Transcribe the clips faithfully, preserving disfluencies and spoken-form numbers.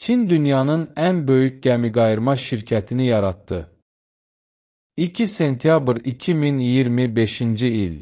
Çin dünyanın ən böyük gəmiqayırma şirkətini yaratdı. iki sentyabr iki min iyirmi beşinci il.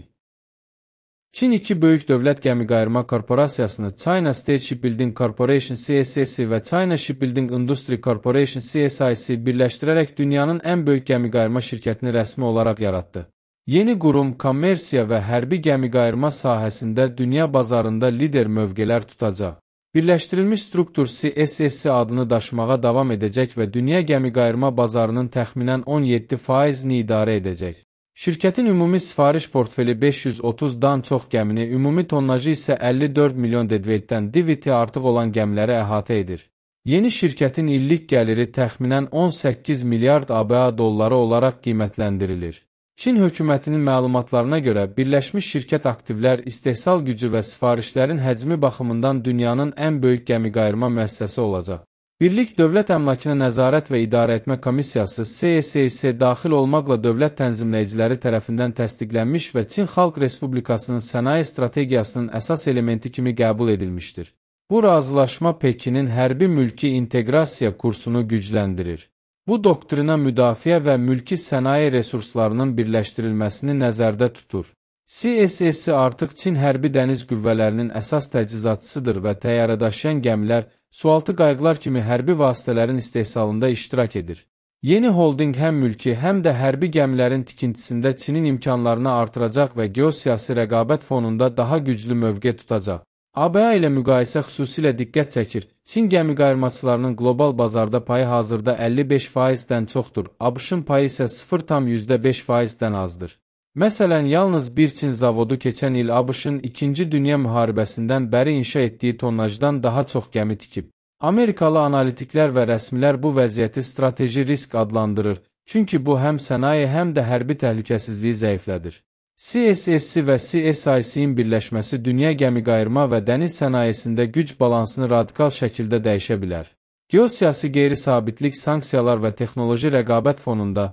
Çin iki böyük dövlət gəmiqayırma korporasiyasını China State Shipbuilding Corporation C S S və China Shipbuilding Industry Corporation C S I C birləşdirərək dünyanın ən böyük gəmiqayırma şirkətini rəsmi olaraq yaratdı. Yeni qurum kommersiya və hərbi gəmiqayırma sahəsində dünya bazarında lider mövqelər tutacaq. Birləşdirilmiş struktur C S S adını daşımağa davam edəcək və dünya gəmiqayırma bazarının təxminən on yeddi faizini idarə edəcək. Şirkətin ümumi sifariş portfeli beş yüz otuzdan çox gəmini, ümumi tonnajı isə əlli dörd milyon deadweightdən diviti artıq olan gəmiləri əhatə edir. Yeni şirkətin illik gəliri təxminən on səkkiz milyard A B A dolları olaraq qiymətləndirilir. Çin hökumətinin məlumatlarına görə birləşmiş şirkət aktivlər, istehsal gücü və sifarişlərin həcmi baxımından dünyanın ən böyük gəmiqayırma müəssisəsi olacaq. Birlik Dövlət Əmlakına Nəzarət və İdarə Etmə Komissiyası C S S daxil olmaqla dövlət tənzimləyiciləri tərəfindən təsdiqlənmiş və Çin Xalq Respublikasının sənaye strategiyasının əsas elementi kimi qəbul edilmişdir. Bu razılaşma Pekinin hərbi mülki inteqrasiya kursunu gücləndirir. Bu doktrina müdafiə və mülki sənaye resurslarının birləşdirilməsini nəzərdə tutur. C S S artıq Çin hərbi dəniz qüvvələrinin əsas təchizatçısıdır və təyyarədaşıyan gəmilər, sualtı qayıqlar kimi hərbi vasitələrin istehsalında iştirak edir. Yeni holding həm mülki, həm də hərbi gəmilərin tikintisində Çinin imkanlarını artıracaq və geosiyasi rəqabət fonunda daha güclü mövqe tutacaq. A B A ilə müqayisə xüsusilə diqqət çəkir. Çin gəmiqayırmaçılarının qlobal bazarda payı hazırda əlli beş faizdən çoxdur, ABŞ-ın payı isə sıfır tam yüzdə beş faizdən azdır. Məsələn, yalnız bir Çin zavodu keçən il ABŞ-ın İkinci Dünya müharibəsindən bəri inşa etdiyi tonnajdan daha çox gəmi tikib. Amerikalı analitiklər və rəsmilər bu vəziyyəti strateji risk adlandırır, çünki bu həm sənaye, həm də hərbi təhlükəsizliyi zəiflədir. C S S və C S I C-in birləşməsi dünya gəmiqayırma və dəniz sənayesində güc balansını radikal şəkildə dəyişə bilər. Geosiyasi qeyri-sabitlik, sanksiyalar və texnoloji rəqabət fonunda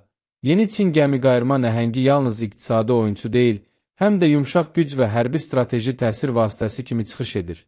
yeni Çin gəmiqayırma nəhəngi yalnız iqtisadi oyunçu deyil, həm də yumşaq güc və hərbi strateji təsir vasitəsi kimi çıxış edir.